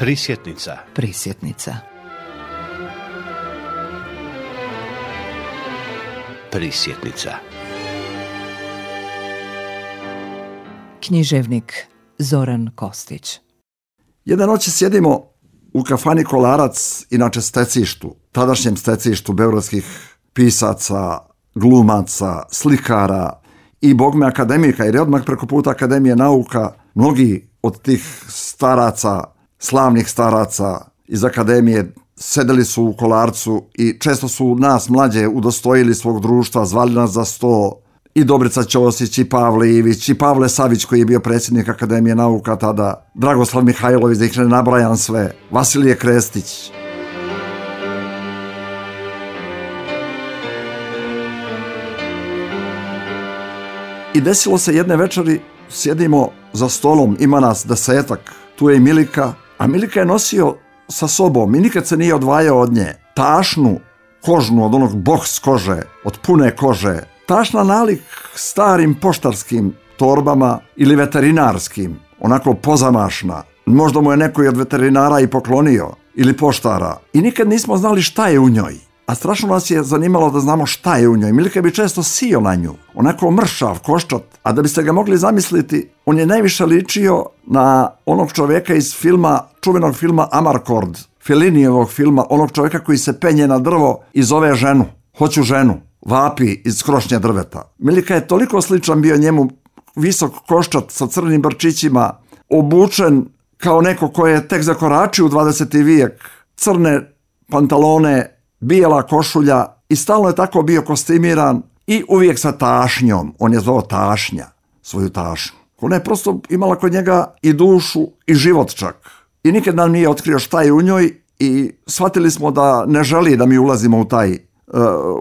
Prisjetnica. Prisjetnica. Prisjetnica. Književnik Zoran Kostić. Jedne noći sjedimo u kafani Kolarac, inače stecištu, tadašnjem stecištu beogradskih pisaca, glumaca, slikara i bogme akademika, jer je odmah preko puta Akademije nauka mnogi od tih staraca, slavnih staraca iz Akademije sedeli su u Kolarcu i često su nas mlađe udostojili svog društva, zvali nas za sto, i Dobrica Ćosić, i Pavle Ivić, i Pavle Savić koji je bio predsjednik Akademije nauka tada, Dragoslav Mihajlović, da ih ne nabrajam sve, Vasilije Krestić. I desilo se jedne večeri, sjedimo za stolom, ima nas 10-ak, tu je i Milika, a Milika je nosio sa sobom i nikad se nije odvajao od nje tašnu kožnu, od onog boks kože, od pune kože, tašna nalik starim poštarskim torbama ili veterinarskim, onako pozamašna. Možda mu je neko i od veterinara i poklonio, ili poštara. I nikad nismo znali šta je u njoj. A strašno nas je zanimalo da znamo šta je u njoj. Milika bi često sio na nju, onako mršav, koščat. A da biste ga mogli zamisliti, on je najviše ličio na onog čovjeka iz filma, čuvenog filma Amarcord, Fellinijevog filma, onog čovjeka koji se penje na drvo i zove ženu. Hoću ženu. Vapi iz krošnje drveta. Milika je toliko sličan bio njemu, visok koščat sa crnim brčićima, obučen kao neko ko je tek zakoračio u 20. vijek, crne pantalone, bijela košulja i stalno je tako bio kostimiran i uvijek sa tašnjom. On je zvao tašnja, svoju tašnju. Ona je prosto imala kod njega i dušu i život čak. I nikad nam nije otkrio šta je u njoj i shvatili smo da ne želi da mi ulazimo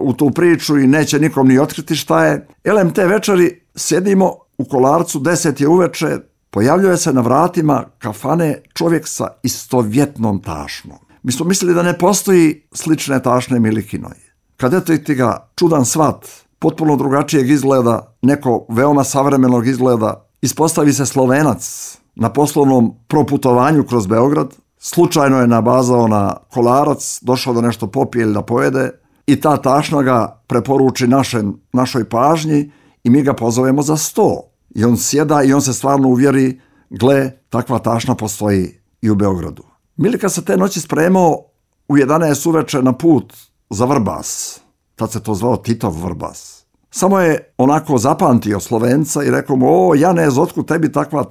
u tu priču i neće nikom ni otkriti šta je. Elem te večeri sjedimo u Kolarcu, 10 je uveče, pojavljuje se na vratima kafane čovjek sa istovjetnom tašnom. Mi smo mislili da ne postoji slične tašne Milikinoj. Kad eto ti ga čudan svat, potpuno drugačijeg izgleda, neko veoma savremenog izgleda, ispostavi se Slovenac na poslovnom proputovanju kroz Beograd, slučajno je nabazao na Kolarac, došao da nešto popije ili da pojede i ta tašna ga preporuči našoj pažnji i mi ga pozovemo za sto. I on sjeda i on se stvarno uvjeri, gle, takva tašna postoji i u Beogradu. Milika se te noći spremao u 11 uveče na put za Vrbas. Tad se to zvao Titov Vrbas. Samo je onako zapamtio Slovenca i rekao mu, o Janez, otkud tebi takva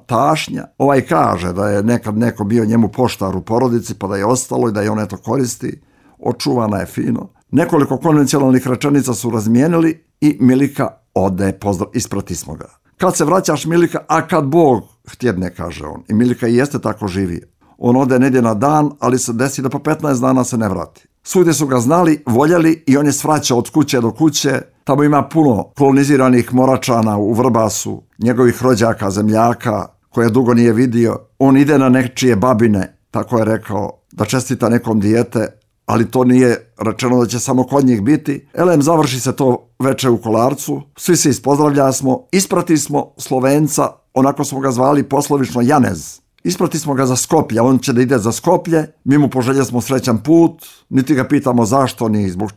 tašnja? Ovaj kaže da je nekad neko bio njemu poštar u porodici pa da je ostalo i da je on eto koristi. Očuvana je fino. Nekoliko konvencionalnih rečenica su razmijenili i Milika ode, isprati smo ga. Kad se vraćaš Milika, a kad Bog htjedne, kaže on. I Milika i jeste tako živi. On ode negdje na dan, ali se desi da po 15 dana se ne vrati. Svugdje su ga znali, voljeli i on je svraćao od kuće do kuće. Tamo ima puno koloniziranih Moračana u Vrbasu, njegovih rođaka, zemljaka, koje dugo nije vidio. On ide na nečije babine, tako je rekao, da čestita nekom dijete, ali to nije rečeno da će samo kod njih biti. Elem, završi se to veče u Kolarcu, svi se ispozdravljasmo, isprati smo Slovenca, onako smo ga zvali poslovično Janez. Isprati smo ga za Skoplje, on će da ide za Skoplje, mi mu poželjeli srećan put, niti ga pitamo zašto, ni zbog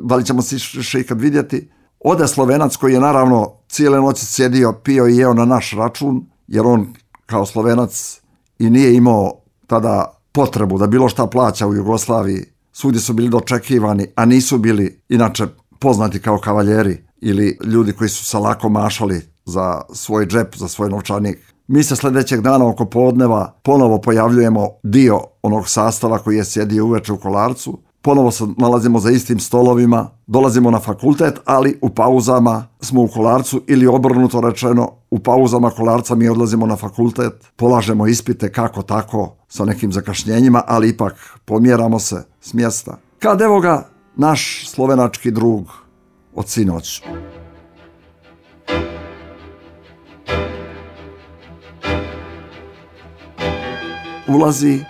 da li ćemo se še ikad vidjeti. Ode Slovenac koji je naravno cijele noći sjedio, pio i jeo na naš račun, jer on kao Slovenac i nije imao tada potrebu da bilo šta plaća u Jugoslaviji. Svugdje su bili dočekivani, a nisu bili inače poznati kao kavaljeri ili ljudi koji su se lako mašali za svoj džep, za svoj novčanik. Mi se sljedećeg dana oko podneva ponovo pojavljujemo dio onog sastava koji je sjedio uveče u Kolarcu. Ponovo se nalazimo za istim stolovima, dolazimo na fakultet, ali u pauzama smo u Kolarcu ili obrnuto rečeno, u pauzama Kolarca mi odlazimo na fakultet, polažemo ispite kako tako sa nekim zakašnjenjima, ali ipak pomjeramo se s mjesta. Kad evo ga naš slovenački drug od sinoć. Ulazi,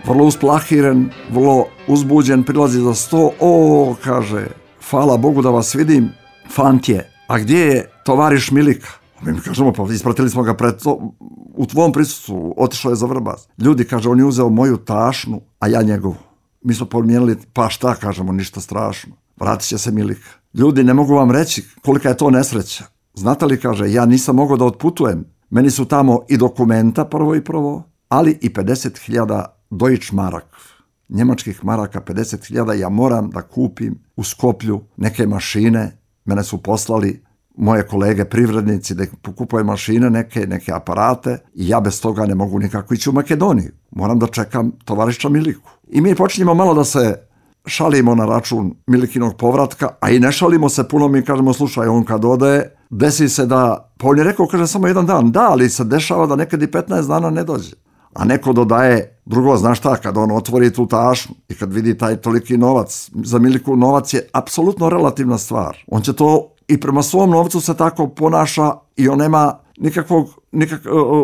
vrlo usplahiren, vrlo uzbuđen, prilazi za sto. O, kaže, hvala Bogu da vas vidim, fantje, a gdje je tovariš Milika? Mi kažemo, pa ispratili smo ga u tvom prisustvu otišao je za Vrbas. Ljudi, kaže, on je uzeo moju tašnu, a ja njegovu. Mi smo promijenili, pa šta, kažemo, ništa strašno. Vratit će se Milika. Ljudi, ne mogu vam reći kolika je to nesreća. Znate li, kaže, ja nisam mogao da otputujem. Meni su tamo i dokumenta prvo, ali i 50.000 Deutsch Mark. Njemačkih maraka 50.000, ja moram da kupim u Skoplju neke mašine. Mene su poslali moje kolege privrednici da pokupuju mašine, neke aparate i ja bez toga ne mogu nikako ići u Makedoniju. Moram da čekam tovariša Miliku. I mi počinjemo malo da se šalimo na račun Milikinog povratka, a i ne šalimo se puno, mi kažemo, slušaj, on kad ode, desi se da, pa on je rekao, kaže, samo jedan dan, da, ali se dešava da nekad i 15 dana ne dođe. A neko dodaje, drugo, znaš šta, kad on otvori tu tašnu i kad vidi taj toliki novac, za Miliku novac je apsolutno relativna stvar. On će to i prema svom novcu se tako ponaša i on nema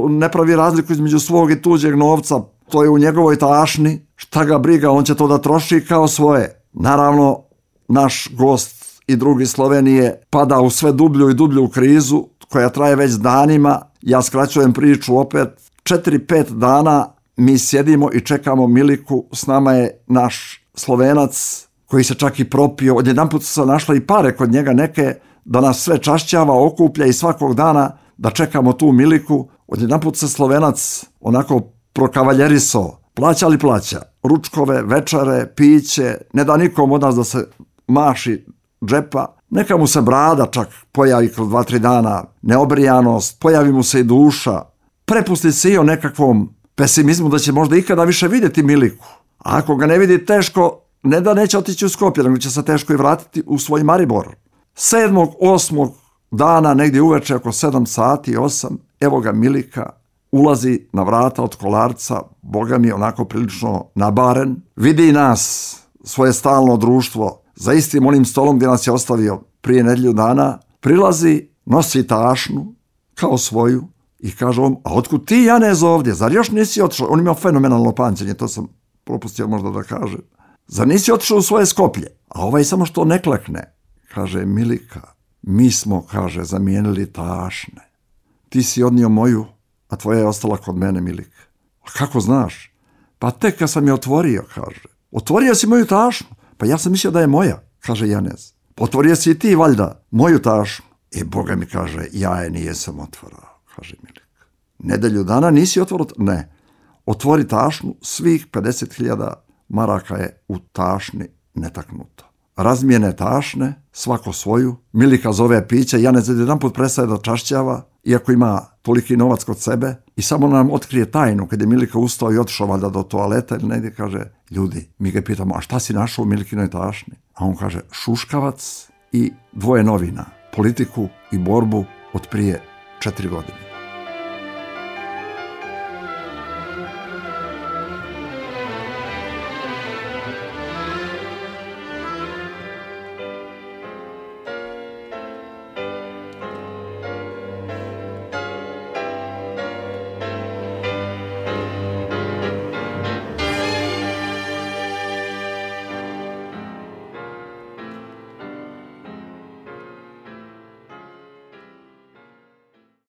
ne pravi razliku između svog i tuđeg novca. To je u njegovoj tašni, šta ga briga, on će to da troši kao svoje. Naravno, naš gost i drugi Slovenije pada u sve dublju i dublju krizu koja traje već danima. Ja skraćujem priču opet. 4-5 dana mi sjedimo i čekamo Miliku, s nama je naš Slovenac koji se čak i propio, odjedanput su se našle i pare kod njega neke da nas sve čašćava, okuplja i svakog dana da čekamo tu Miliku. Odjedanput se Slovenac onako prokavaljeriso, plaća, ručkove, večere, piće, ne da nikom od nas da se maši džepa, neka mu se brada čak pojavi kroz 2-3 dana, neobrijanost, pojavi mu se i duša, prepusti se i o nekakvom pesimizmu da će možda ikada više vidjeti Miliku. A ako ga ne vidi, teško, ne da neće otići u Skopje, nego će se teško i vratiti u svoj Maribor. 7. 8. dana, negdje uveče, oko 7 sati, 8, evo ga Milika, ulazi na vrata od Kolarca, Boga mi onako prilično nabaren, vidi nas, svoje stalno društvo, za istim onim stolom gdje nas je ostavio prije nedelju dana, prilazi, nosi tašnu, kao svoju, i kaže on, a otkud ti, Janez, ovdje? Zar još nisi otišao? On ima fenomenalno pamćenje, to sam propustio možda da kažem. Zar nisi otišao u svoje Skoplje? A ovaj samo što ne klekne. Kaže, Milika, mi smo, kaže, zamijenili tašne. Ti si odnio moju, a tvoja je ostala kod mene, Milika. A kako znaš? Pa tek kad sam je otvorio, kaže. Otvorio si moju tašnu? Pa ja sam mislio da je moja, kaže Janez. Otvorio si i ti, valjda, moju tašnu. I Boga mi kaže, ja je nijesam otvorao, kaže Milika. Nedelju dana nisi otvorio? Ne. Otvori tašnu, svih 50.000 maraka je u tašni netaknuto. Razmijene tašne, svako svoju, Milika zove piće, Janez jedanput prestaje da čašćava, iako ima toliki novac kod sebe, i samo nam otkrije tajnu, kad je Milika ustao i otišao valjda do toaleta ili negdje, kaže, ljudi, mi ga pitamo, a šta si našao u Milikinoj tašni? A on kaže, šuškavac i 2 novina, politiku i borbu od prije 4 godine.